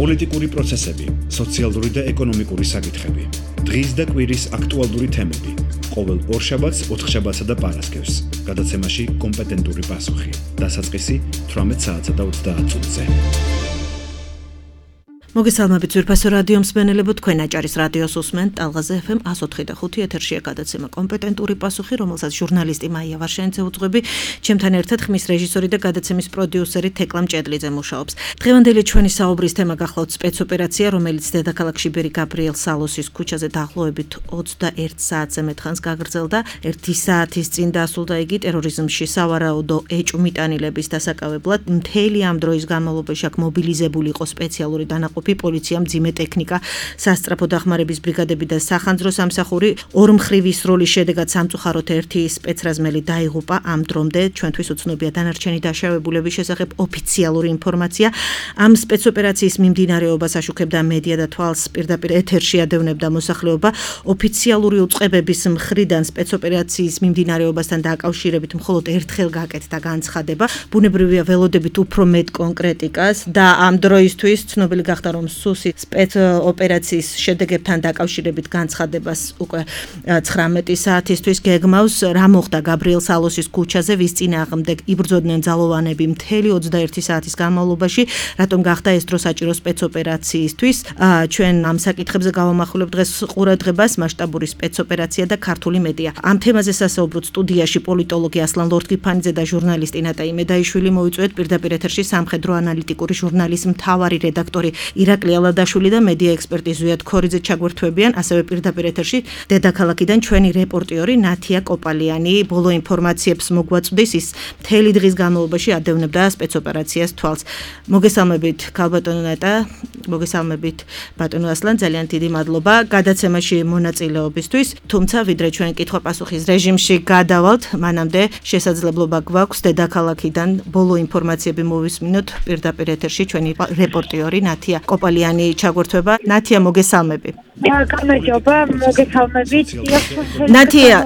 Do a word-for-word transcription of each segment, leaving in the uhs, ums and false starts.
პოლიტიკური პროცესები, სოციალური და ეკონომიკური საკითხები, დღის და კვირის აქტუალური თემები, ყოველ ორშაბათს, ოთხშაბათსა და პარასკევს, გადაცემაში კომპეტენტური პასუხი, დასაწყისი თვრამეტ საათსა და ოცდაათ წუთზე. მოგესალმებით ძვირფასო რადიო მსმენელებო, თქვენ აჭარის რადიოს უსმენთ ტალღაზე ეფ ემ εκατს ოთხი და ხუთი ეთერშია გადაცემა კომპეტენტური პასუხი, რომელსაც ჟურნალისტი მაია ვარშენიძე უძღვები, ჩემთან ერთად ხმის რეჟისორი და გადაცემის პროდიუსერი თეკლა მჭედლიძე მუშაობს. დღევანდელი ჩვენი საუბრის თემა გახლავთ სპეცოპერაცია, რომელიც დედაქალაქ შიბერი გაბრიელ სალოსის ქუჩაზე დაახლოებით ოცდაერთ საათზე მეტხანს გაგრძელდა. ერთი საათის წინ დასრულდა იგი ტერორიზმში სავარაუდო ეჭვმიტანილების დასაკავებლად. მთელი ამ დროის განმავლობაში აქ მობილიზებული იყო სპეციალური დანაყოფი პოლიცია, მძიმე ტექნიკა, სასწრაფო დახმარების ბრიგადები და სახანძრო სამსახური. ორმხრივი სროლის შედეგად სამწუხაროდ ერთი სპეცრაზმელი დაიღუპა. ამ დრომდე ჩვენთვის უცნობია დანარჩენი დაშავებულების შესახებ ოფიციალური ინფორმაცია. ამ სპეცოპერაციის მიმდინარეობას აშუქებდა მედია და თვალს პირდაპირ ეთერში ადევნებდა მოსახლეობა. ოფიციალური უწყებების მხრიდან სპეცოპერაციის მიმდინარეობასთან დაკავშირებით მხოლოდ ერთხელ გაკეთდა განცხადება. ბუნებრივია ველოდებით უფრო მეტ კონკრეტიკას და ამ დროისთვის ცნობილი გახდა რომ სუსი სპეცოპერაციის შედეგებთან დაკავშირებით განცხადებას უკვე ცხრამეტი საათისთვის გეგმავს. რა მოხდა გაბრიელ სალოსის ქუჩაზე, ვის წინააღმდეგ იბრძოდნენ ძალოვანები მთელი ოცდაერთი საათის განმავლობაში, რატომ გახდა ეს დრო საჭირო სპეცოპერაციისთვის. ჩვენ ამ საკითხებზე გავამახვილებ დღეს ყურადღებას მასშტაბური სპეცოპერაცია და ქართული მედია. ამ თემაზე სასაუბროთ სტუდიაში პოლიტოლოგი ასლან ლორთქიფანიძე და ჟურნალისტი ნატა იმედაიშვილი მოიწვიეთ. პირდაპირ ეთერში სამხედრო ანალიტიკური ჟურნალის მთავარი რედაქტორი ირაკლი ალადაშვილი და მედია ექსპერტი ზვიად ქორიძე ჩაგვერთვებიან, ასევე პირდაპირ ეთერში დედაქალაქიდან ჩვენი რეპორტიორი ნათია კოპალიანი ბოლო ინფორმაციებს მოგვაწვდის. ის მთელი დღის განმავლობაში ადევნებდა სპეცოპერაციას თვალს. მოგესალმებით ქალბატონო ნატა, მოგესალმებით ბატონო ასლან, ძალიან დიდი მადლობა გადაცემაში მონაწილეობისთვის. თუმცა ვიდრე ჩვენ კითხვა-პასუხის რეჟიმში გადავალთ, მანამდე შესაძლებლობა გვაქვს დედაქალაქიდან ბოლო ინფორმაციები მოვისმინოთ. პირდაპირ ეთერში ჩვენი რეპორტიორი ნათია კოპალიანი ჩაგვერთვება. ნათია, მოგესალმები. გამარჯობა, მოგესალმებით. ნათია,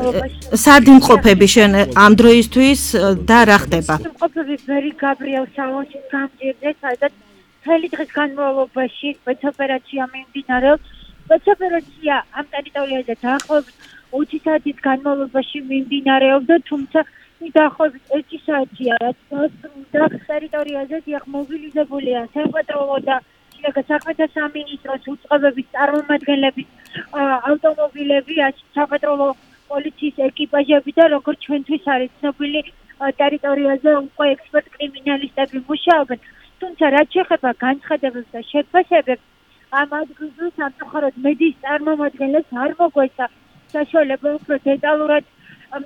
სად იმყოფები შენ ამ დროისთვის და რა ხდება? იმყოფები ბერი გაბრიელ სალოსის გამზირზე, სადაც მთელი დღის განმავლობაში სპეცოპერაცია მიმდინარეობს. სპეცოპერაცია ამ ტერიტორიაზე დაახლოებით ოცი საათის განმავლობაში მიმდინარეობდა, თუმცა დაახლოებით ერთი საათია, რაც დასრულდა. ტერიტორიაზე დიახ მობილიზებულია სამხედრო და საქმეთა სამინისტროს უწყებების წარმომადგენლების ავტომობილები, სამხედრო პოლიციის ეკიპაჟები და როგორც ჩვენთვის არის ცნობილი, ტერიტორიაზე უკვე ექსპერტ კრიმინალისტები მუშაობენ. თუმცა რაც შეეხება განცხადებებს და შეფასებებს, ამ ადგილზე სამწუხაროდ მედიის წარმომადგენლებს არ მოგვეცა საშუალება უფრო დეტალურად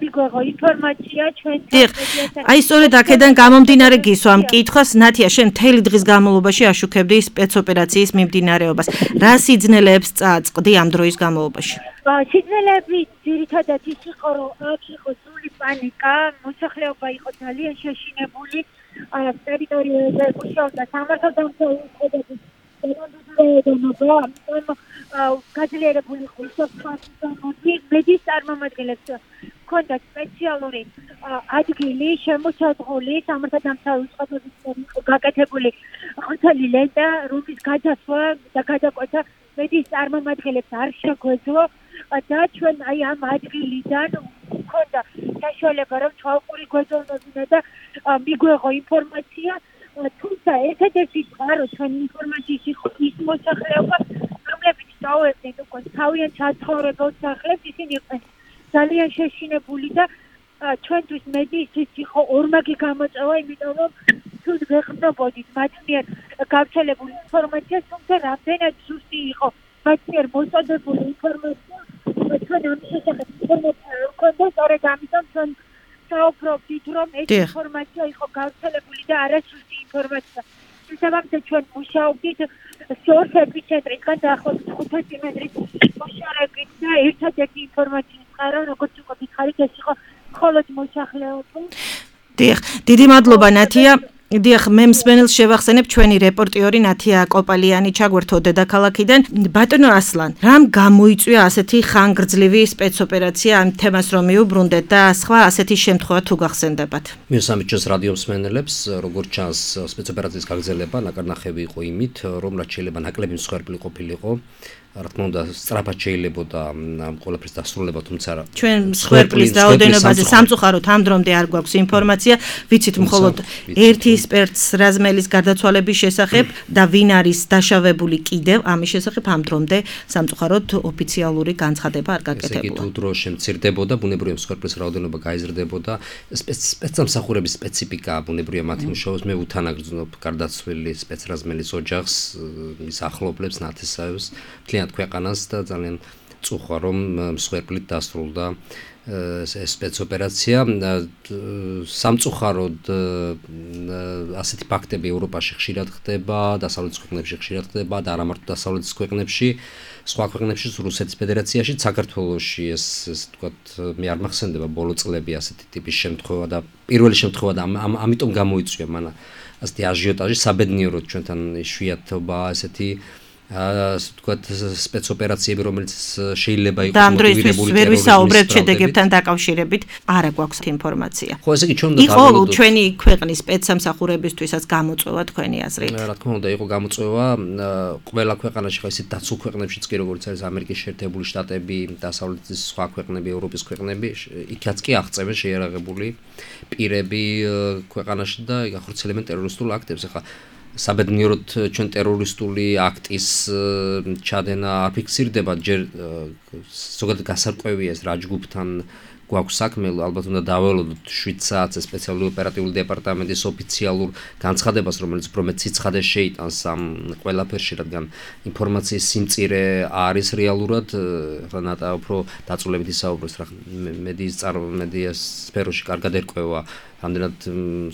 მიგვეღო ინფორმაცია ჩვენთან. აი სწორედ აქედან გამომდინარე გისვა ამ კითხვას. ნათია, შენ მთელი დღის განმავლობაში აშუქებდი სპეცოპერაციის მიმდინარეობას. რა სიძნელეებს წააწყდი ამ დროის განმავლობაში? სიძნელეები ძირითადად ის იყო, რომ აქ იყო სრული პანიკა, მოსახლეობა იყო ძალიან შეშინებული, ტერიტორიაზე მუშაობდა სამართალდამცავი უწყებების დანაშაულობა, ამიტომ გაძლიერებული იყო ისოცხლოსნები, მედიის წარმომადგენლებს ჰქონდა სპეციალური ადგილი შემოსაზღვრული სამართალდამცავი უწყებების გაკეთებული ყვითელი ლენტა, რომლის გადასვლა და გადაკვეთა მედიის წარმომადგენლებს არ შეგვეძლო და ჩვენ აი ამ ადგილიდან ჰქონდა საშუალება რომ თვალყური გვეძებნებინა და მიგვეღო ინფორმაცია. თუმცა ერთადერთი წყარო ჩვენი ინფორმაციის იყო ის მოსახლეობა, რომლებიც დაუერთდნენ უკვე თავიანთ საცხოვრებელ სახლებს, ისინი იყვნენ ძალიან შეშინებული და ჩვენთვის მედიისთვის იყო ორმაგი გამოწვევა, იმიტომ რომ თუ ვეღწობოდით მათ მიერ გავრცელებული ინფორმაციას, თუმცა რამდენად ზუსტი იყო მათ მიერ მოსწოდებული ინფორმაცია, ჩვენ ამ შესახებ ინფორმაცია არ გვქონდა, სწორედ ამიტომ ჩვენ საუბრობდით, რომ ეს ინფორმაცია იყო გავრცელებული და არასუსტი ინფორმაცია. შესაბამისად ჩვენ მუშაობდით სორს ეპიცენტრისგან დაახლოებით ხუთასი მეტრის მოშორებით და ერთადერთი ინფორმაციის წყარო, როგორც უკვე გითხარით, ეს იყო მხოლოდ მოსახლეობა. დიახ, დიდი მადლობა ნათია. დიახ, მე მსმენელს შევახსენებ ჩვენი რეპორტიორი ნათია კოპალიანი ჩაგვერთო დედაქალაქიდან. ბატონო ასლან, რამ გამოიწვია ასეთი ხანგრძლივი სპეცოპერაცია ამ თემას რომ მიუბრუნდეთ და სხვა ასეთი შემთხვევა თუ გახსენდებათ? მივსამით ჩვენს რადიო მსმენელებს, როგორც ჩანს, სპეცოპერაციის გაგრძელება ნაკარნახები იყო იმით, რომ რაც შეიძლება ნაკლები მსხვერპლი ყოფილიყო. რა თქმა უნდა, სწრაფად შეიძლებოდა ამ ყველაფრის დასრულება, თუმცა ჩვენ მსხვერპლის რაოდენობაზე სამწუხაროდ ამ დრომდე არ გვაქვს ინფორმაცია, ვიცით მხოლოდ ერთი სპეცს რაზმელის გარდაცვალების შესახებ და ვინ არის დაშავებული კიდევ ამის შესახებ ამ დრომდე სამწუხაროდ ოფიციალური განცხადება არ გაკეთებულა. ესე იგი, თუ დრო შემცირდებოდა, ბუნებრივია მსხვერპლის რაოდენობა გაიზრდებოდა, სპეცსამსახურების სპეციფიკა ბუნებრივია მათი მუშაობის, მე უთანაგრძნობ გარდაცვლილი სპეცრაზმელის ოჯახს, მის ახლობლებს, ნათესავებს, მთლიანად ქვეყანას და ძალიან წუხვა რომ მსხვერპლით დასრულდა სპეცოპერაცია. სამწუხაროდ ასეთი ფაქტები ევროპაში ხშირად ხდება, დასავლეთის ქვეყნებში ხშირად ხდება და არა მარტო დასავლეთის ქვეყნებში, სხვა ქვეყნებშიც, რუსეთის ფედერაციაში, საქართველოში ეს ესე ვთქვათ, მე არ მახსენდება ბოლო წლები ასეთი ტიპის შემთხვევა და პირველი შემთხვევა და ამიტომ გამოიწვია მან ასეთი აჟიოტაჟი საბედნიეროდ ჩვენთან იშვიათობა ესეთი ასე ვთქვათ სპეცოპერაციები, რომელიც შეიძლება იყოს მოტივირებული და ამ დროს ვერ ვისაუბრებთ შედეგებთან დაკავშირებით, არა გვაქვს ინფორმაცია. ხო, ესე იგი ჩვენ უნდა დავველოდოთ. იყო ჩვენი ქვეყნის სპეცსამსახურებისთვისაც გამოწვევა თქვენი აზრით? რა თქმა უნდა, იყო გამოწვევა ყველა ქვეყანაში, ხო ისეთ დაცულ ქვეყნებშიც კი როგორც არის ამერიკის შეერთებული შტატები, დასავლეთის სხვა ქვეყნები, ევროპის ქვეყნები, იქაც კი აღწევენ შეიარაღებული პირები ქვეყანაში და გახორციელებენ ტერორისტულ აქტებს. ახლა საბედნიეროდ ჩვენ ტერორისტული აქტის ჩადენა არ ფიქსირდება, ჯერ ზოგადად გასარკვევია ეს რა ჯგუფთან გვაქვს საქმე, ალბათ უნდა დაველოდოთ შვიდ საათზე სპეციალური ოპერატიული დეპარტამენტის ოფიციალურ განცხადებას, რომელიც უფრო ციცხადე შეიტანს ამ ყველაფერში, რადგან ინფორმაციის სიმწირე არის რეალურად, რა ნატა უფრო დაწვრილებით ისაუბროს, რა მედიის მედიას სფეროში კარგად ერკვევა ამდენად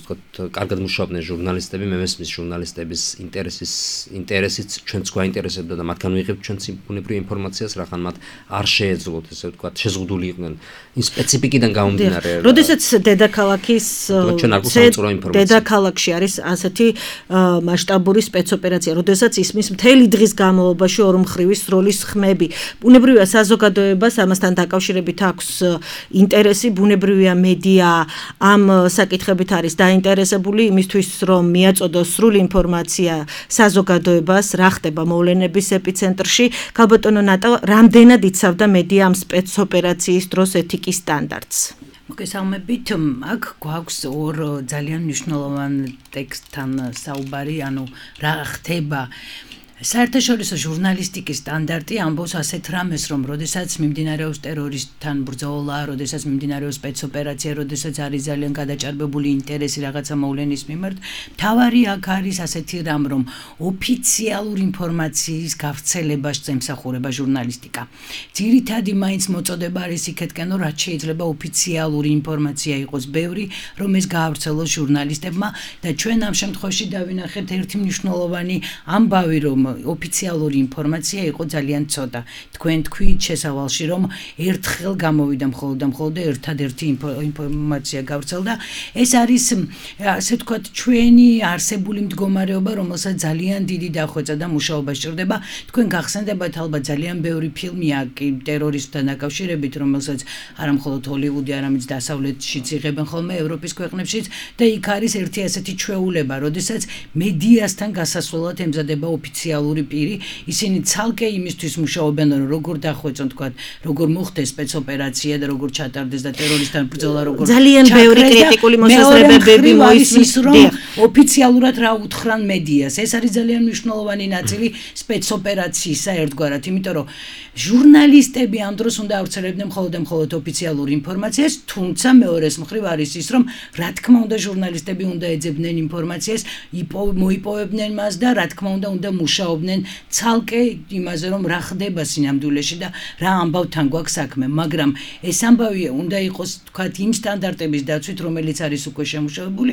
ვთქვათ, კარგად მუშაობდნენ ჟურნალისტები, მე მესმის ჟურნალისტების ინტერესის ინტერესიც ჩვენც გვაინტერესებდა და მათგან ვიღებთ ჩვენც ბუნებრივ ინფორმაციას, რახან მათ არ შეეძლოთ, ესე ვთქვათ, შეზღუდული იყვნენ იმ სპეციფიკიდან გამომდინარე. როდესაც დედაქალაქის ჩვენ არ გვსაუწრო ინფორმაცია. დედაქალაქში არის ასეთი მასშტაბური სპეცოპერაცია, როდესაც ისმის მთელი დღის განმავლობაში ორმხრივი სროლის ხმები. ბუნებრივია საზოგადოებას ამასთან დაკავშირებით აქვს ინტერესი, ბუნებრივია მედია ამ საკითხებით არის დაინტერესებული იმისთვის, რომ მიაწოდოს სრული ინფორმაცია საზოგადოებას, რა ხდება მოვლენების ეპიცენტრში. ქალბატონო ნატა, რამდენად იცავდა მედია ამ სპეცოპერაციის დროს ეთიკის სტანდარტს? მოგესალმებით, აქ გვაქვს ორ ძალიან მნიშვნელოვან ტექსტთან საუბარი, ანუ რა ხდება საერთაშორისო ჟურნალისტიკის სტანდარტი ამბობს ასეთ რამეს, რომ როდესაც მიმდინარეობს ტერორისტთან ბრძოლა, როდესაც მიმდინარეობს სპეცოპერაცია, როდესაც არის ძალიან გადაჭარბებული ინტერესი რაღაცა მოვლენის მიმართ, მთავარი აქ არის ასეთი რამ, რომ ოფიციალური ინფორმაციის გავრცელებას ემსახურება ჟურნალისტიკა. ძირითადი მაინც მოწოდება არის იქეთკენ, რომ რაც შეიძლება ოფიციალური ინფორმაცია იყოს ბევრი, რომ ეს გაავრცელოს ჟურნალისტებმა და ჩვენ ამ შემთხვევაში დავინახეთ ერთი მნიშვნელოვანი ამბავი, რომ ოფიციალური ინფორმაცია იყო ძალიან ცოტა. თქვენ თქვით შესავალში, რომ ერთხელ გამოვიდა მხოლოდ და მხოლოდ ერთადერთი ინფორმაცია გავრცელდა. ეს არის, ასე ვთქვათ, ჩვენი არსებული მდგომარეობა, რომელსაც ძალიან დიდი დახვეწა და მუშაობა სჭირდება. თქვენ გახსენდებათ ალბათ ძალიან ბევრი ფილმია ტერორისტთან დაკავშირებით, რომელსაც არა მხოლოდ ჰოლივუდი, არამედ დასავლეთშიც იღებენ ხოლმე, ევროპის ქვეყნებშიც და იქ არის ერთი ასეთი ჩვეულება, როდესაც მედიასთან გასასვლელად ემზადება ოფიციალური პირი, ისინი ცალკე იმისთვის მუშაობენ, რომ როგორ დახვეწონ, თქვათ, როგორ მოხდეს სპეცოპერაცია და როგორ ჩატარდეს და ტერორისტთან ბრძოლა როგორ ძალიან ბევრი კრიტიკული მოსაზრებები მოისმის, რომ ოფიციალურად რა უთხრან მედიას. ეს არის ძალიან მნიშვნელოვანი ნაწილი სპეცოპერაციისა ერთგვარად, იმიტომ რომ ჟურნალისტები ამ დროს უნდა ავრცელებდნენ მხოლოდ და მხოლოდ ოფიციალურ ინფორმაციას, თუმცა მეორეს მხრივ არის ის, რომ რა თქმა უნდა ჟურნალისტები უნდა ეძებდნენ ინფორმაციას, მოიპოვებდნენ მას და რა თქმა უნდა უნდა მუშაობდნენ მუშაობდნენ ცალკე იმაზე, რომ რა ხდება სინამდვილეში და რა ამბავთან გვაქვს საქმე, მაგრამ ეს ამბავი უნდა იყოს თქვათ იმ სტანდარტების დაცვით, რომელიც არის უკვე შემუშავებული,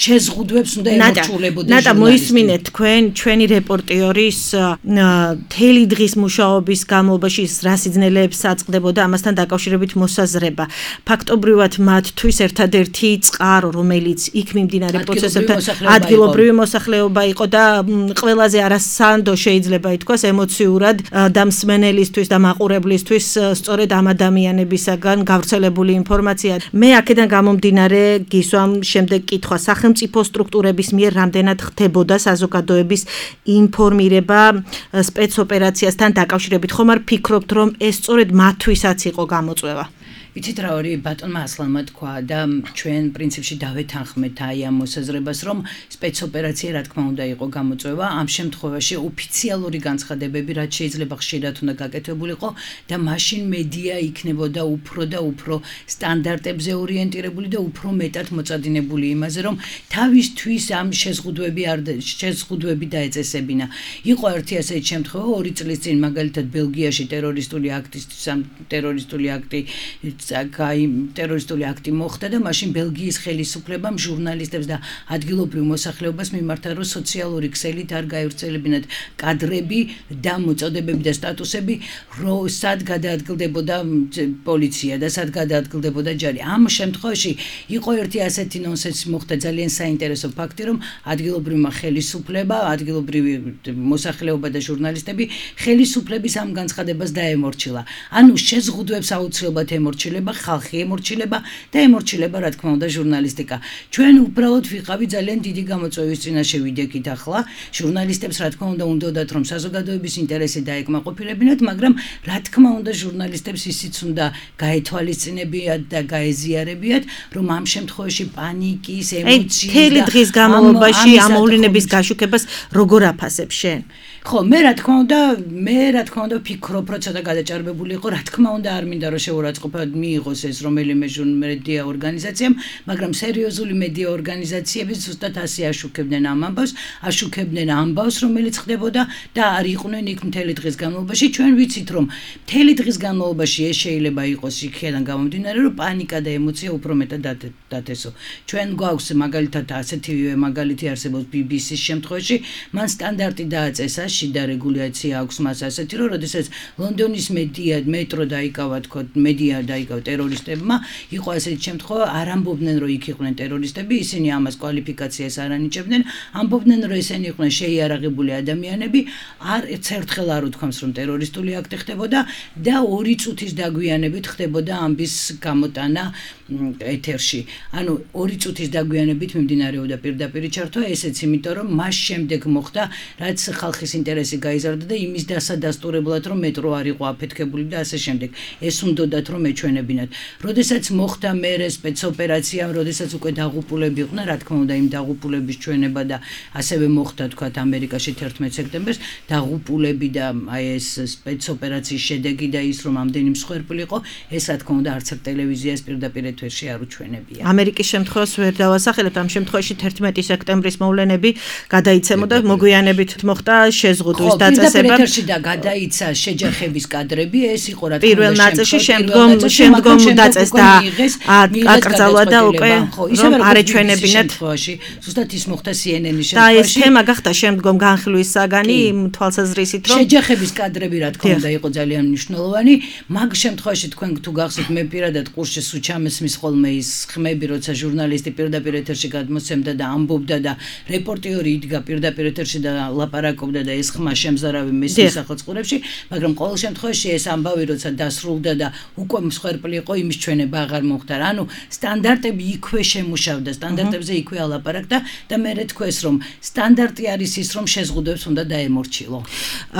შეზღუდვებს უნდა ემორჩილებოდეს. ნატა, მოისმინეთ თქვენ ჩვენი რეპორტიორის მთელი დღის მუშაობის განმავლობაში რა სიძნელეებს აწყდებოდა ამასთან დაკავშირებით მოსაზრება. ფაქტობრივად მათთვის ერთადერთი წყარო, რომელიც იქ მიმდინარე პროცესებთან ადგილობრივი მოსახლეობა იყო და ყველაზე არასანდო შეიძლება ითქვას ემოციურად და მსმენელისთვის და მაყურებლისთვის სწორედ ამ ადამიანებისაგან გავრცელებული ინფორმაცია. მე აქედან გამომდინარე გისვამ შემდეგ კითხვა, სახელმწიფო სტრუქტურების მიერ რამდენად ხდებოდა საზოგადოების ინფორმირება სპეცოპერაციასთან დაკავშირებით? ხომ არ ფიქრობთ, რომ ეს სწორედ მათთვისაც იყო გამოწვევა? იცით რა ორი ბატონმა ასლანმა თქვა და ჩვენ პრინციპში დავეთანხმეთ აი ამ მოსაზრებას, რომ სპეცოპერაცია რა თქმა უნდა იყო გამოწვევა. ამ შემთხვევაში ოფიციალური განცხადებები რაც შეიძლება ხშირად უნდა გაკეთებულიყო და მაშინ მედია იქნებოდა უფრო და უფრო სტანდარტებზე ორიენტირებული და უფრო მეტად მოწადინებული იმაზე, რომ თავისთვის ამ შეზღუდვები არ შეზღუდვები დაეწესებინა. იყო ერთი ასეთი შემთხვევა ორი წლის წინ მაგალითად ბელგიაში ტერორისტული აქტის ტერორისტული აქტი აი ტერორისტული აქტი მოხდა და მაშინ ბელგიის ხელისუფლებამ ჟურნალისტებს და ადგილობრივ მოსახლეობას მიმართა, რომ სოციალური ქსელით არ გაივრცელებინათ კადრები და მოწოდებები და სტატუსები, რომ სად გადაადგილდებოდა პოლიცია და სად გადაადგილდებოდა ჯარი. ამ შემთხვევაში იყო ერთი ასეთი ნონსენსი მოხდა, ძალიან საინტერესო ფაქტი, რომ ადგილობრივმა ხელისუფლება, ადგილობრივი მოსახლეობა და ჟურნალისტები ხელისუფლების ამ განცხადებას დაემორჩილა. ანუ შეზღუდვებს აუცილებლად ემორჩილება, ხალხი ემორჩილება და ემორჩილება რა თქმა უნდა ჟურნალისტიკა. ჩვენ უბრალოდ ვიყავი ძალიან დიდი გამოწვევის წინაშე ვიდექით ახლა. ჟურნალისტებს რა თქმა უნდა უნდათ რომ საზოგადოების ინტერესი დაეკმაყოფილებინათ, მაგრამ რა თქმა უნდა ჟურნალისტებს ისიც უნდა გაეთვალისწინებიათ და გაეზიარებიათ, რომ ამ შემთხვევაში პანიკის, ემოციის და მთელი დღის განმავლობაში ამ მოვლენების გაშუქებას როგორ აფასებ შენ? ხო, მე რა თქმა უნდა, მე რა თქმა უნდა ვფიქრობ, რომ ცოტა გადაჭარბებული იყო, რა თქმა უნდა არ მინდა რომ შეურაცხყოფა მიიღოს ეს რომელიმე მედია ორგანიზაციამ, მაგრამ სერიოზული მედია ორგანიზაციები ზუსტად ასე აშუქებდნენ ამ ამბავს, აშუქებდნენ ამბავს, რომელიც ხდებოდა და არ იყვნენ იქ მთელი დღის განმავლობაში. ჩვენ ვიცით, რომ მთელი დღის განმავლობაში ეს შეიძლება იყოს იქიდან გამომდინარე, რომ პანიკა და ემოცია უფრო მეტად დათესო. ჩვენ გვაქვს მაგალითად ასეთივე მაგალითი არსებობს ბი ბი სის შემთხვევაში, მან სტანდარტი დააწესა, შიდა რეგულაცია აქვს მას ასეთი, რომ როდესაც ლონდონის მედია მეტრო დაიკავა, თქო, მედია დაიკავა ტერორისტებმა, იყო ასეთი შემთხვევა, არ ამბობდნენ, რომ იქ იყვნენ ტერორისტები, ისინი ამას კვალიფიკაციას არ ანიჭებდნენ, ამბობდნენ, რომ ესენი იყვნენ შეიარაღებული ადამიანები, არ ერთხელ არ უთქვამს, რომ ტერორისტული აქტი ხდებოდა და ორი წუთის დაგვიანებით ხდებოდა ამბის გამოტანა ეთერში. ანუ ორი წუთის დაგვიანებით მიმდინარეობდა პირდაპირი ჩართვა, ესეც იმიტომ, რომ მას შემდეგ მოხდა, რაც ხალხის ინტერესი გაიზარდა და იმის დასადასტურებლად, რომ მეტრო არ იყო აფეთქებული და ასე შემდეგ. ეს უნდათ რომ ეჩვენებინათ. როდესაც მოხდა მერე სპეცოპერაცია, როდესაც უკვე დაღუპულები იყვნენ, რა თქმა უნდა, იმ დაღუპულების ჩვენება და ასევე მოხდა თქვათ ამერიკაში თერთმეტ სექტემბერს, დაღუპულები და აი ეს სპეცოპერაციის შედეგი და ის რომ ამდენი მსხვერპლი იყო, ეს რა თქმა უნდა არც ტელევიზიას პირდაპირ ეთერში არ უჩვენებია. ამერიკის შემთხვევას ვერ დავასახელებ, ამ შემთხვევაში თერთმეტი სექტემბრის მოვლენები გადაიცემოდა, მოგვიანებით მოხდა შეზღუდვის დაწესება. ხო, ეთერში და გადაიცა შეჯახების კადრები, ეს იყო რა თქმა უნდა პირველ ნაწილში, შემდგომ შემდგომ დაწესდა აკრძალვა და უკვე რომ არ ეჩვენებინათ. ზუსტად ის მოხდა სი ენ ენის შემთხვევაში. და ეს თემა გახდა შემდგომ განხილვის საგანი თვალსაზრისით, რომ შეჯახების კადრები რა თქმა უნდა იყო ძალიან მნიშვნელოვანი. მაგ შემთხვევაში თქვენ თუ გახსოვთ, მე პირადად ყურში სულ ჩამესმის ხოლმე ის ხმები, როცა ჟურნალისტი პირდაპირ ეთერში გადმოსცემდა და ამბობდა და რეპორტიორი იდგა პირდაპირ ეთერში და ლაპარაკობდა და ეს ხმა შემზარავი მესმის სახელმწიფოებში, მაგრამ ყოველ შემთხვევაში ეს ამბავი როცა დასრულდა და უკვე მსხვერპლი იყო, იმის ჩვენება აღარ მოხდა. ანუ სტანდარტები იქვე შემუშავდა, სტანდარტებზე იქვე ალაპარაკდა და მე რეთქვეს, რომ სტანდარტი არის ის, რომ შეზღუდვებს უნდა დაემორჩილო.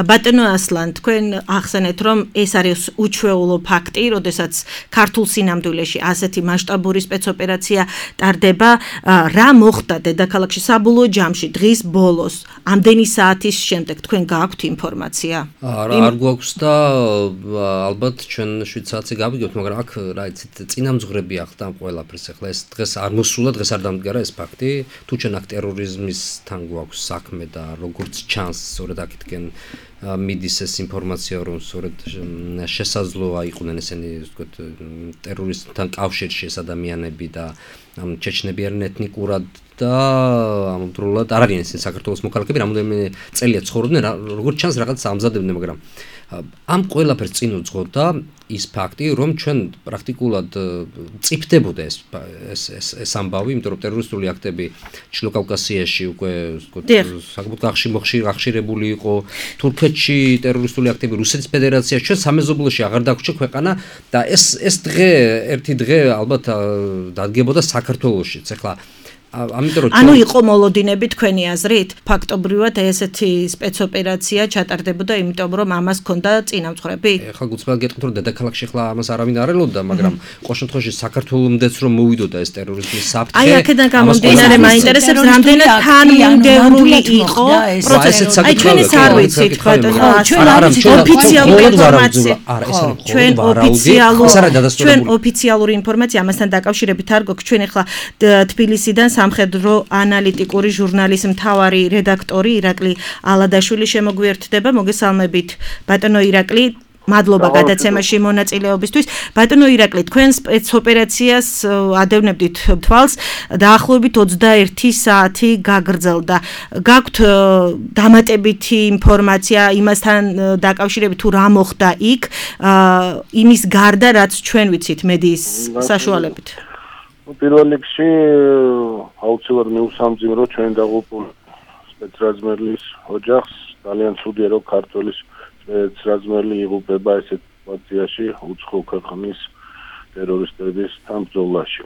ბატონო ასლან, თქვენ ახსენეთ, რომ ეს არის უჩვეულო ფაქტი, როდესაც ქართულ სინამდვილეში ასეთი მასშტაბური სპეცოპერაცია ტარდება. რა მოხდა დედაქალაქში საბოლოო ჯამში დღის ბოლოს, ამდენი საათის შემდეგ თქვენ გააქვთ ინფორმაცია? არა, არ გვაქვს და ალბათ ჩვენ შვიდ საათზე გავიგებთ, მაგრამ მაგრამ აქ რა იცით, წინამძღვრები ახლა ამ ყველაფერს ახლა ეს დღეს არ მოსულა, დღეს არ დამდგარა ეს ფაქტი. თუ ჩვენ აქ ტერორიზმისთან გვაქვს საქმე და როგორც ჩანს, სწორედ აქეთკენ მიდის ეს ინფორმაცია, რომ სწორედ შესაძლოა იყვნენ ესენი, ვთქვათ, ტერორისტთან კავშირში ეს ადამიანები და ამ ჩეჩნები არიან ეთნიკურად და ამავდროულად არ არიან ესენი საქართველოს მოქალაქეები, რამოდენიმე წელია ცხოვრობდნენ, როგორც ჩანს რაღაც ამზადებდნენ, მაგრამ ამ ყველაფერს წინ უძღოდა ის ფაქტი, რომ ჩვენ პრაქტიკულად წიფდებოდა ეს ეს ეს ამბავი, იმიტომ რომ ტერორისტული აქტები ჩრდილო კავკასიაში უკვე საკმაოდ გახშირებული იყო, თურქეთში ტერორისტული აქტები, რუსეთის ფედერაციაში, ჩვენ სამეზობლოში აღარ დაგვრჩა ქვეყანა და ეს ეს დღე ერთი დღე ალბათ დადგებოდა საქართველოშიც. ახლა ამიტომ ანუ იყო მოლოდინები თქვენი აზრით? ფაქტობრივად ესეთი სპეცოპერაცია ჩატარდებოდა, იმიტომ რომ ამას ჰქონდა წინამძღვრები? ეხლა გუწმად გეტყვით, რომ დედაქალაქში ახლა ამას არავინ არ ელოდა, მაგრამ ყოველ შემთხვევაში საქართველომდეც რომ მოვიდოდა ეს ტერორიზმის საფრთხე. აი აქედან გამომდინარე მაინტერესებს, რამდენად თანმიმდევრული იყო პროცესი. აი ჩვენ ეს არ ვიცით, ბატონო, ჩვენ არ ვიცით ოფიციალური ინფორმაცია. ჩვენ ოფიციალურ ჩვენ ოფიციალური ინფორმაცია ამასთან დაკავშირებით არ გვაქვს. ჩვენ ახლა თბილისიდან სამხედრო ანალიტიკური ჟურნალის მთავარი რედაქტორი ირაკლი ალადაშვილი შემოგვიერთდება. მოგესალმებით ბატონო ირაკლი, მადლობა გადაცემაში მონაწილეობისთვის. ბატონო ირაკლი, თქვენ სპეცოპერაციას ადევნებდით თვალს, დაახლოებით ოცდაერთი საათი გაგრძელდა. გაქვთ დამატებითი ინფორმაცია იმასთან დაკავშირებით, თუ რა მოხდა იქ, იმის გარდა, რაც ჩვენ ვიცით მედიის საშუალებით? პირველ რიგში აუცილებლად მიუსამძიმრო ჩვენ დაღუპულ სპეცრაზმერლის ოჯახს. ძალიან ცუდია, რომ ქართველის სპეცრაზმერლი იღუპება ესეთ სიტუაციაში უცხო ქვეყნის ტერორისტებისთან ბრძოლაში.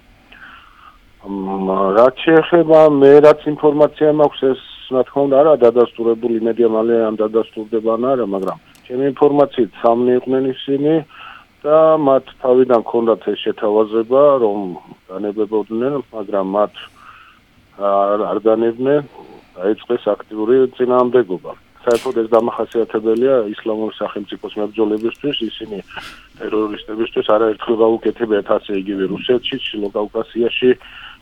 რაც შეეხება მე რაც ინფორმაცია მაქვს, ეს რა თქმა უნდა არა დადასტურებული, იმედია მალე ამ დადასტურდება ან არა, მაგრამ ჩემი ინფორმაციით სამნი იყვნენ ისინი და მათ თავიდან ჰქონდათ ეს შეთავაზება, რომ განებებოდნენ, მაგრამ მათ არ განებდნენ, დაიწყეს აქტიური წინააღმდეგობა. საერთოდ ეს დამახასიათებელია ისლამური სახელმწიფოს მებრძოლებისთვის, ისინი ტერორისტებისთვის არაერთხელ გაუკეთებიათ ასე იგივე რუსეთში, ჩრდილო კავკასიაში,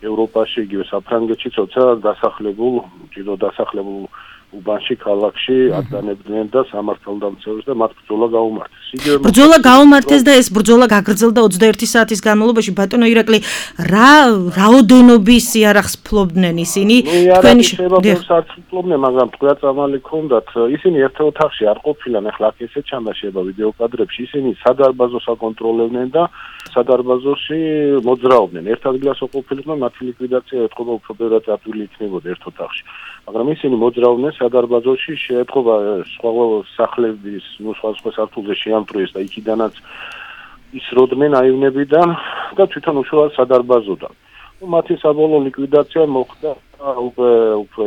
ევროპაში, იგივე საფრანგეთში, თორსა დასახლებულ, ჭირო დასახლებულ უბანში, ქალაქში ადგენდნენ და სამართალდამცავებს და მათ ბრძოლა გაუმართეს. ბრძოლა გაუმართეს და ეს ბრძოლა გაგრძელდა ოცდაერთი საათის განმავლობაში. ბატონო ირაკლი, რა რაოდენობის იარაღს ფლობდნენ ისინი? თქვენი შეებაბებს ფლობდნენ, მაგრამ თქვა წამალი ქონდათ. ისინი ერთ ოთახში არ ყოფილან, ახლა აქ ესე ჩანდა შეება ვიდეო კადრებში. ისინი სადარბაზოს აკონტროლებდნენ და სადარბაზოში მოძრაობდნენ. ერთ ადგილას ყოფილიყო, მათი ლიკვიდაცია ეთყობა უფრო ბევრად ათვილი იქნებოდა ერთ ოთახში. მაგრამ ისინი მოძრაობდნენ სადარბაზოში, შეეთყობა სხვა სახლების, ნუ სხვა სხვა სართულზე შეამტრიეს და იქიდანაც ისროდნენ აივნებიდან და თვითონ უშუალოდ სადარბაზოდან. მათი საბოლოო ლიკვიდაცია მოხდა უკვე უფრო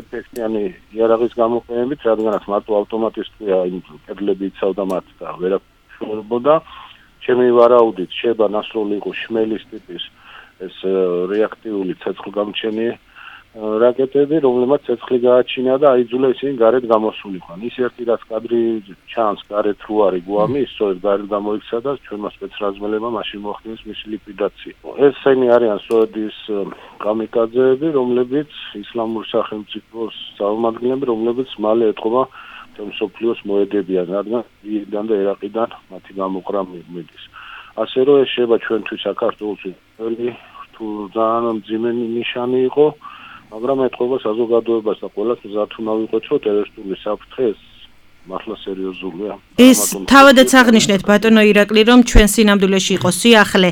ეფექტიანი იარაღის გამოყენებით, რადგანაც მარტო ავტომატისტია იმ კედლები იცავდა მათ და ვერაფერებოდა. ჩემი ვარაუდით შეება ნასროლი იყო შმელის ტიპის ეს რეაქტიული ცეცხლგამჩენი რაკეტები, რომლებმაც ცეცხლი გააჩინა და აიძულა ისინი გარეთ გამოსულიყვან. ის ერთი რაც კადრი ჩანს გარეთ რო არის გვამი, ის სწორედ გარეთ გამოიქცა და ჩვენმა სპეცრაზმელებმა მაშინ მოახდინეს მისი ლიკვიდაცია. ესენი არიან სწორედ ის კამიკაძეები, რომლებიც ისლამური სახელმწიფოს წარმომადგენლები, რომლებიც მალე ეთყობა მსოფლიოს მოედებიან, რადგან ირანიდან და ერაყიდან მათი გამოყრა მიდის. ასე რომ ეს შეება ჩვენთვის საქართველოში თუ ძალიან მძიმე ნიშანი იყო, მაგრამ ეთყობა საზოგადოებას და ყველას მზად უნდა ვიყოთ, რომ ტერორისტული საფრთხე მართლა სერიოზულია. ეს თავადაც აღნიშნეთ ბატონო ირაკლი, რომ ჩვენ სინამდვილეში იყო სიახლე,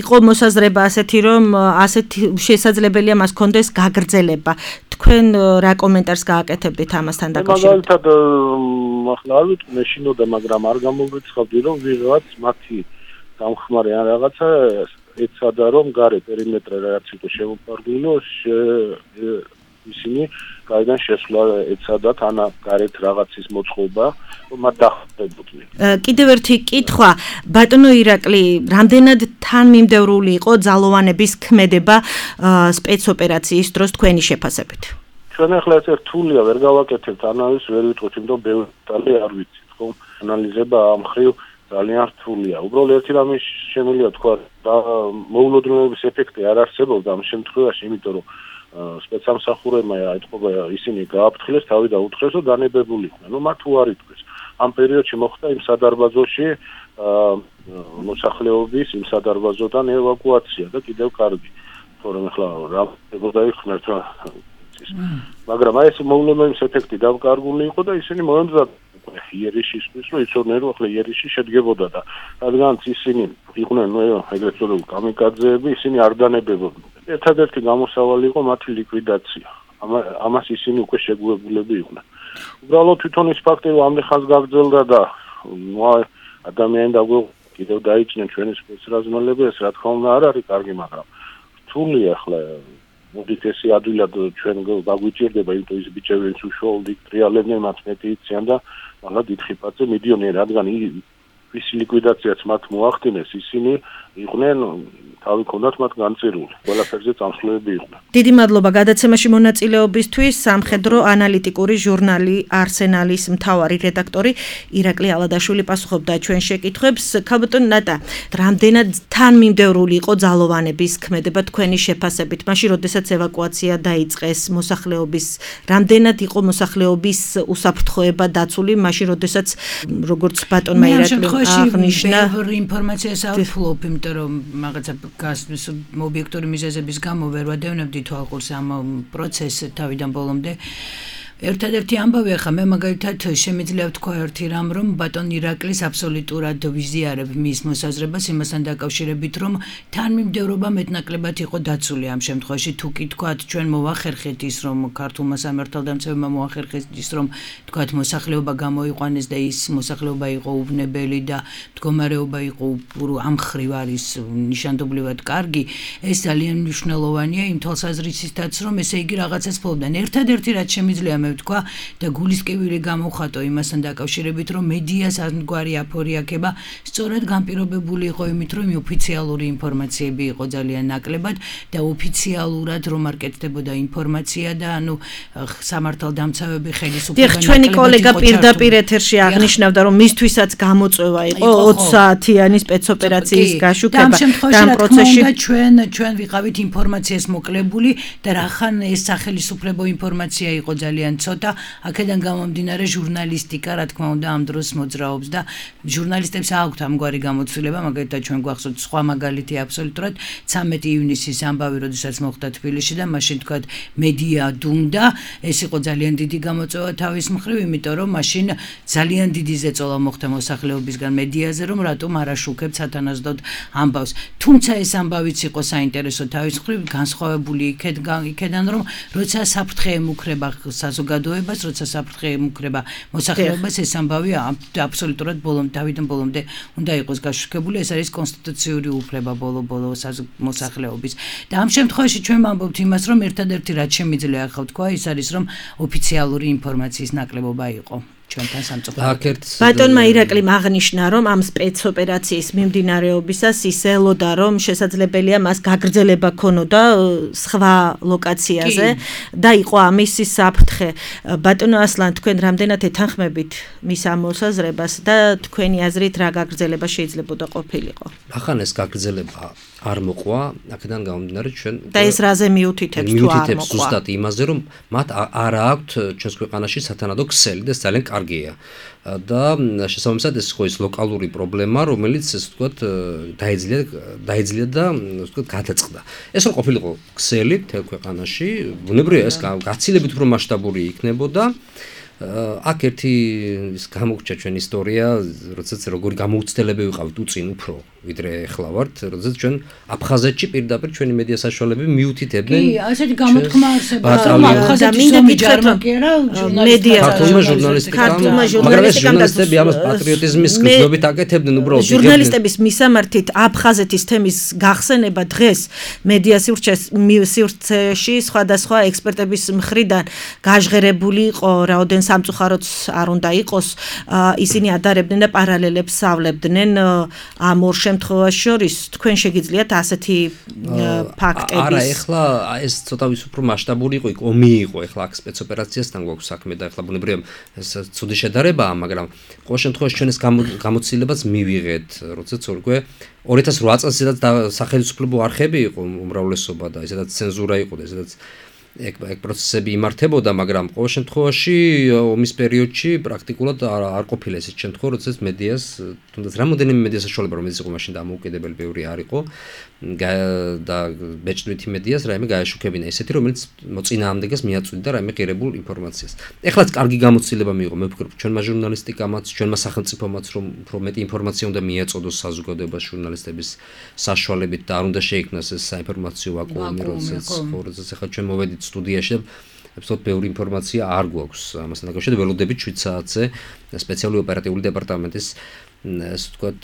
იყო მოსაზრება ასეთი, რომ ასეთი შესაძლებელია მას კონდეს გაგრძელება. თქვენ რა კომენტარს გააკეთებდით ამასთან დაკავშირებით? მაგალითად, ახლა არ ვიცი, მე შინოდა, მაგრამ არ გამოგვიცხავდი, რომ ვიღაც მათი დამხმარე ან რაღაცა ეცადა, რომ გარე პერიმეტრი რაც იყო შემოფარგლინო, ისინი გაიდან შესვლა ეცადათ, ან გარეთ რაღაცის მოწყობა, რომ მათ დახვდებოდნენ. კიდევ ერთი კითხვა, ბატონო ირაკლი, რამდენად თანმიმდევრული იყო ძალოვანების ქმედება სპეცოპერაციის დროს თქვენი შეფასებით? ჩვენ ახლა ეს რთულია, ვერ გავაკეთებთ ანალიზს, ვერ ვიტყვით, იმიტომ ბევრი დეტალი არ ვიცით, ხო? ანალიზება ამ ხრივ ძალიან რთულია. უბრალოდ ერთი რამე შემიძლია თქვა და მოულოდნელობის ეფექტი არ არსებობდა ამ შემთხვევაში, იმიტომ რომ სპეცსამსახურებმა ეთყობა ისინი გააფრთხილეს, თავი დაუთხრეს, რომ დანებებულიყვნენ. ნუ მათ უარი თქვეს. ამ პერიოდში მოხდა იმ სადარბაზოში მოსახლეობის იმ სადარბაზოდან ევაკუაცია და კიდევ კარგი. თორემ ახლა რა დაიხმართ რა მაგრამ აი ეს მოულოდნელობის ეფექტი დავკარგული იყო და ისინი მოემზადა იერიშისთვის, რომ იცოდნენ, რომ ახლა იერიში შედგებოდა და რადგანაც ისინი იყვნენ ეგრეთ წოდებული კამიკაძეები, ისინი არ დანებებოდნენ. ერთადერთი გამოსავალი იყო მათი ლიკვიდაცია. ამას ისინი უკვე შეგუებულები იყვნენ. უბრალოდ თვითონ ის ფაქტი, რომ ამდენ ხანს გაგრძელდა და ადამიანი დაგვე კიდევ დაიჭნენ ჩვენი სპეცრაზმელები, ეს რა თქმა უნდა არ არის კარგი, მაგრამ რთულია ახლა მოდით ესე ადვილად ჩვენ გაგვიჭირდება, იმიტომ ის ბიჭები ვინც უშუალოდ ტრიალებდნენ, მათ მეტი იციან და მაგრამ დიდხი პაწე მიდიონი, რადგან ის ლიკვიდაციაც მათ მოახდინეს, ისინი იყვნენ თავი ქონდათ მათ განწირული. ყველაფერზე წამსვლელები იყვნენ. დიდი მადლობა გადაცემაში მონაწილეობისთვის. სამხედრო ანალიტიკური ჟურნალი არსენალის მთავარი რედაქტორი ირაკლი ალადაშვილი პასუხობდა ჩვენ შეკითხვებს. ქალბატონ ნატა, რამდენად თანმიმდევრული იყო ძალოვანების ქმედება თქვენი შეფასებით? მაშინ, როდესაც ევაკუაცია დაიწყეს მოსახლეობის, რამდენად იყო მოსახლეობის უსაფრთხოება დაცული? მაშინ, როდესაც როგორც ბატონმა ირაკლი აღნიშნა, ბევრი ინფორმაციას არ ვფლობ, იმიტომ რომ რაღაცა გასვლის ობიექტური მიზეზების გამო ვერ ვადევნებდი თვალყურს ამ პროცესს თავიდან ბოლომდე. ერთადერთი ამბავი ახლა მე მაგალითად შემიძლია ვთქვა ერთი რამ, რომ ბატონ ირაკლის აბსოლუტურად ვიზიარებ მის მოსაზრებას იმასთან დაკავშირებით, რომ თანმიმდევრობა მეტნაკლებად იყო დაცული ამ შემთხვევაში. თუ კი თქვათ ჩვენ მოვახერხეთ ის, რომ ქართულმა სამართალდამცავებმა მოახერხეს ის, რომ თქვათ მოსახლეობა გამოიყვანეს და ის მოსახლეობა იყო უბნებელი და მდგომარეობა იყო ამ ხრივ არის ნიშანდობლივად კარგი, ეს ძალიან მნიშვნელოვანია იმ თვალსაზრისითაც, რომ ესე იგი რაღაცას ფლობდნენ. ერთადერთი რაც შემიძლია თქვა და გულისკევილი გამოვხატო იმასთან დაკავშირებით, რომ მედიას ამგვარი აფორიაქება სწორად განპირობებული იყო იმით, რომ ოფიციალური ინფორმაციები იყო ძალიან ნაკლებად და ოფიციალურად რომ არ კეთდებოდა ინფორმაცია და ანუ სამართალდამცავები ხელისუფლება ნაკლებად. ჩვენი კოლეგა პირდაპირ ეთერში აღნიშნავდა, რომ მისთვისაც გამოწვევა იყო ოცი საათიანი სპეცოპერაციის გაშუქება და ამ შემთხვევაში ჩვენ ჩვენ ვიყავით ინფორმაციას მოკლებული და რახან ეს სახელისუფლებო ინფორმაცია იყო ძალიან ცოტა, აქედან გამომდინარე ჟურნალისტიკა რა თქმა უნდა ამ დროს მოძრაობს და ჟურნალისტებს აქვთ ამგვარი გამოცდილება, მაგალითად ჩვენ გვახსოვთ სხვა მაგალითი აბსოლუტურად ცამეტი ივნისის ამბავი, როდესაც მოხდა თბილისში და მაშინ თქვათ მედია დუმდა, ეს იყო ძალიან დიდი გამოწვევა თავის მხრივ, იმიტომ რომ მაშინ ძალიან დიდი ზეწოლა მოხდა მოსახლეობისგან მედიაზე, რომ რატომ არ აშუქებთ სათანადოდ ამბავს. თუმცა ეს ამბავიც იყო საინტერესო თავის მხრივ, განსხვავებული იქედან, რომ როცა საფრთხე ემუქრება საზოგადოებას, როცა საფრთხე ემუქრება მოსახლეობას, ეს ამბავი აბსოლუტურად ბოლომდე თავიდან ბოლომდე უნდა იყოს გაშუქებული, ეს არის კონსტიტუციური უფლება ბოლო-ბოლო მოსახლეობის. და ამ შემთხვევაში ჩვენ ვამბობთ იმას, რომ ერთადერთი რაც შემიძლია ახლა ვთქვა, ის არის, რომ ოფიციალური ინფორმაციის ნაკლებობა იყო. ჩვენთან სამწუხაროდ. ბატონმა ირაკლიმ აღნიშნა, რომ ამ სპეცოპერაციის მიმდინარეობისას ის ელოდა, რომ შესაძლებელია მას გაგრძელება ქონოდა სხვა ლოკაციაზე და იყო ამის საფრთხე. ბატონო ასლან, თქვენ რამდენად ეთანხმებით მის ამ მოსაზრებას და თქვენი აზრით რა გაგრძელება შეიძლებოდა ყოფილიყო? ახან ეს გაგრძელება არ მოყვა, აქედან გამომდინარე ჩვენ და ეს რაზე მიუთითებს თუ არ მოყვა? ზუსტად იმაზე, რომ მათ არ აქვთ ჩვენს ქვეყანაში სათანადო ქსელი და ძალიან კარგია. და შესაბამისად ეს ხო ის ლოკალური პრობლემა, რომელიც ესე ვთქვათ დაიძლია დაიძლია და ასე ვთქვათ გადაწყდა. ეს რომ ყოფილიყო ქსელი მთელ ქვეყანაში, ბუნებრივია ეს გაცილებით უფრო მასშტაბური იქნებოდა. აქ ერთი ის გამოგჩა ჩვენ ისტორია, როდესაც როგორი გამოუცდელები ვიყავით უწინ უფრო ვიდრე ახლა ვართ, როდესაც ჩვენ აფხაზეთში პირდაპირ ჩვენი მედია საშუალებები მიუთითებდნენ. კი, ასეთი გამოთქმა არსებობდა. აფხაზეთი მინდა გითხრათ, მედია ქართულმა ჟურნალისტიკამ, მაგრამ ეს ჟურნალისტები ამას პატრიოტიზმის გზნობით აკეთებდნენ უბრალოდ. ჟურნალისტების მისამართით აფხაზეთის თემის გახსენება დღეს მედია სივრცეში სხვადასხვა ექსპერტების მხრიდან გაჟღერებული იყო, რაოდენ სამწუხაროც არ უნდა იყოს, ისინი ადარებდნენ და პარალელებს ავლებდნენ ამ ორ შემთხვევაში შორის თქვენ შეგიძლიათ ასეთი ფაქტების არა, ეხლა ეს ცოტა ვის უფრო მასშტაბური იყო, იქ ომი იყო, ეხლა აქ სპეცოპერაციასთან გვაქვს საქმე და ეხლა ბუნებრივია ეს ცუდი შედარებაა, მაგრამ ყოველ შემთხვევაში ჩვენ ეს გამოცდილებას მივიღეთ, როდესაც ორგვე ორი ათას ოთხ წელს სადაც სახელმწიფო არხები იყო უმრავლესობა და ესედაც ცენზურა იყო და ესედაც ეგ ეგ პროცესები იმართებოდა, მაგრამ ყოველ შემთხვევაში ომის პერიოდში პრაქტიკულად არ არ ყოფილა ესეთ შემთხვევა, როდესაც მედიას, თუნდაც რამოდენიმე მედია საშუალება რომელიც იყო მაშინ დამოუკიდებელი ბევრი არ იყო და ბეჭდვითი მედიას რაიმე გააშუქებინა ესეთი, რომელიც მოწინააღმდეგეს მიაწვდიდა რაიმე ღირებულ ინფორმაციას. ეხლაც კარგი გამოცდილება მიიღო, მე ვფიქრობ, ჩვენმა ჟურნალისტიკამაც, ჩვენმა სახელმწიფომაც რომ უფრო მეტი ინფორმაცია უნდა მიეწოდოს საზოგადოებას ჟურნალისტების საშუალებით და არ უნდა შეიქმნას ეს საინფორმაციო ვაკუუმი, როდესაც როდესაც ახლა ჩვენ მოვედით სტუდიაში და აბსოლუტურად ბევრი ინფორმაცია არ გვაქვს ამასთან დაკავშირებით. ველოდებით შვიდ საათზე სპეციალური ოპერატიული დეპარტამენტის ასე ვთქვათ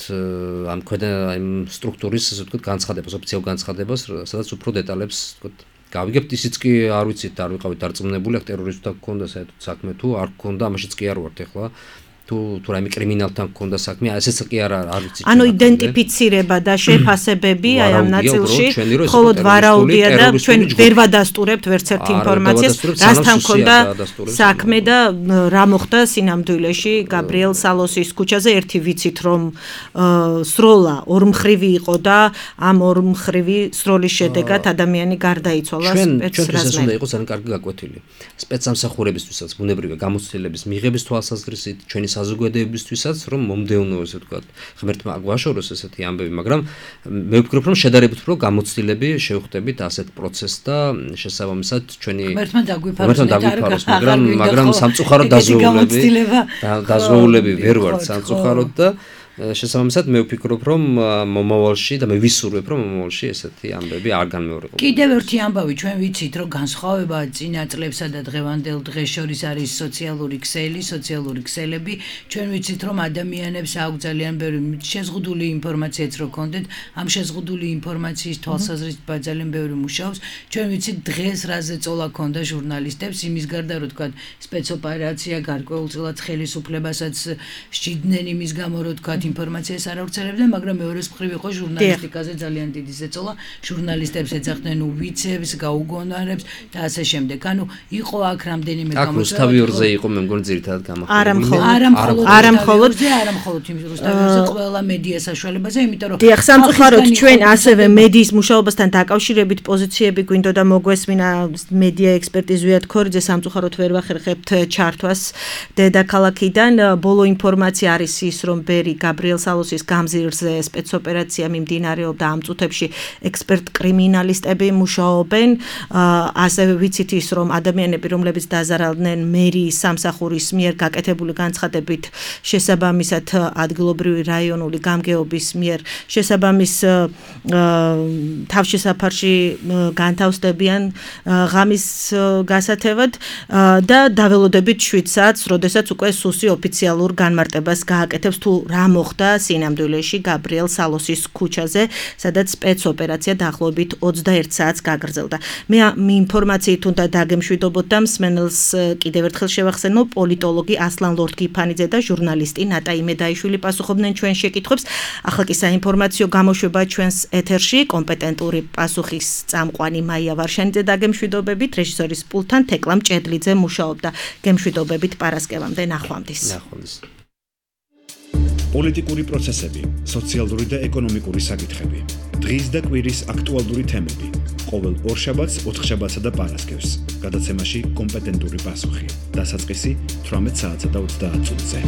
ამ ქვედა იმ სტრუქტურის ასე ვთქვათ განცხადებას, ოფიციალურ განცხადებას, სადაც უფრო დეტალებს ვთქვათ გავიგებთ. ისიც კი არ ვიცით, არ ვიყავით დარწმუნებული, აქ ტერორისტთან გქონდა საერთოდ საქმე თუ არ გქონდა, ამაშიც კი არ ვართ ეხლა. თუ თუ რაიმე კრიმინალთან გქონდა საქმე, ესეც კი არ არ ვიცი. ანუ იდენტიფიცირება და შეფასებები აი ამ ნაწილში მხოლოდ ვარაუდია და ჩვენ ვერ ვადასტურებთ ვერც ერთ ინფორმაციას, რასთან გქონდა საქმე და რა მოხდა სინამდვილეში გაბრიელ სალოსის ქუჩაზე. ერთი ვიცით რომ სროლა ორმხრივი იყო და ამ ორმხრივი სროლის შედეგად ადამიანი გარდაიცვალა სპეცრაზმე. ჩვენ ეს უნდა იყოს ძალიან კარგი გაკვეთილი. სპეცსამსახურებისთვისაც ბუნებრივია გამოცდილების მიღების თვალსაზრისით, ჩვენი საზოგადოებისთვისაც რომ მომდევნო ესე ვთქვათ ღმერთმა აგვაშოროს ესეთი ამბები, მაგრამ მე ვფიქრობ რომ შედარებით უფრო გამოცდილები შევხვდებით ასეთ პროცესს და შესაბამისად ჩვენი ღმერთმა დაგვიფაროს, მაგრამ მაგრამ სამწუხაროდ დაზღვეულები დაზღვეულები ვერ ვართ სამწუხაროდ და შესაბამისად მე ვფიქრობ რომ მომავალში და მე ვისურვებ რომ მომავალში ესეთი ამბები არ განმეორებულიყო. კიდევ ერთი ამბავი ჩვენ ვიცით რომ განსხვავება წინა წლებსა და დღევანდელ დღეს შორის არის სოციალური ქსელი, სოციალური ქსელები. ჩვენ ვიცით რომ ადამიანებს აქვს ძალიან ბევრი შეზღუდული ინფორმაციაც რო კონდეთ, ამ შეზღუდული ინფორმაციის თვალსაზრისით ძალიან ბევრი მუშაობს. ჩვენ ვიცით დღეს რაზე წოლა ქონდა ჟურნალისტებს, იმის გარდა რომ თქვა სპეცოპერაცია გარკვეულწილად ხელისუფლებასაც სჭიდნენ იმის გამო რომ თქვა ინფორმაციას არ ავრცელებდნენ, მაგრამ მეორეს მხრივ იყო ჟურნალისტიკაზე ძალიან დიდი ზეწოლა. ჟურნალისტებს ეძახდნენ უვიცებს, გაუგონარებს და ასე შემდეგ. ანუ იყო აქ რამდენიმე გამოწვევა. აქ რუსთავი ორზე იყო მე მგონი ძირითადად გამოყენებული. არა მხოლოდ არა მხოლოდ არა მხოლოდ არა მხოლოდ იმ რუსთავი ორზე ყველა მედია საშუალებაზე, იმიტომ რომ დიახ, სამწუხაროდ ჩვენ ასევე მედიის მუშაობასთან დაკავშირებით პოზიციები გვინდოდა მოგვესმინა მედია ექსპერტი ზვიად ქორიძე, სამწუხაროდ ვერ ვახერხებთ ჩართვას დედაქალაქიდან. ბოლო ინფორმაცია არის ის რომ ბერი გაბრიელ სალოსის გამზირზე სპეცოპერაცია მიმდინარეობდა, ამ წუთებში ექსპერტ კრიმინალისტები მუშაობენ. ასევე ვიცით ის რომ ადამიანები რომლებიც დაზარალდნენ მერიის სამსახურის მიერ გაკეთებული განცხადებით შესაბამისად ადგილობრივი რაიონული გამგეობის მიერ შესაბამის თავშესაფარში განთავსდებიან ღამის გასათევად და დაველოდებით შვიდ საათს, როდესაც უკვე სუსი ოფიციალურ განმარტებას გააკეთებს თუ რა მოხდა სინამდვილეში გაბრიელ სალოსის ქუჩაზე, სადაც სპეცოპერაცია დაახლოებით ოცდაერთ საათს გაგრძელდა. მე ამ ინფორმაციით უნდა დაგემშვიდობოთ და მსმენელს კიდევ ერთხელ შევახსენო, პოლიტოლოგი ასლან ლორთგიფანიძე და ჟურნალისტი ნატა იმედაიშვილი პასუხობდნენ ჩვენ შეკითხვებს. ახლა კი საინფორმაციო გამოშვება ჩვენს ეთერში, კომპეტენტური პასუხის წამყვანი მაია ვარშანიძე დაგემშვიდობებით, რეჟისორის პულტთან თეკლა მჭედლიძე მუშაობდა. გემშვიდობებით პარასკევამდე, ნახვამდის. ნახვამდის. პოლიტიკური პროცესები, სოციალური და ეკონომიკური საკითხები, დღის და კვირის აქტუალური თემები, ყოველ ორშაბათს, ოთხშაბათსა და პარასკევს, გადაცემაში კომპეტენტური პასუხი, დასაწყისი თვრამეტ საათსა და ოცდაათ წუთზე.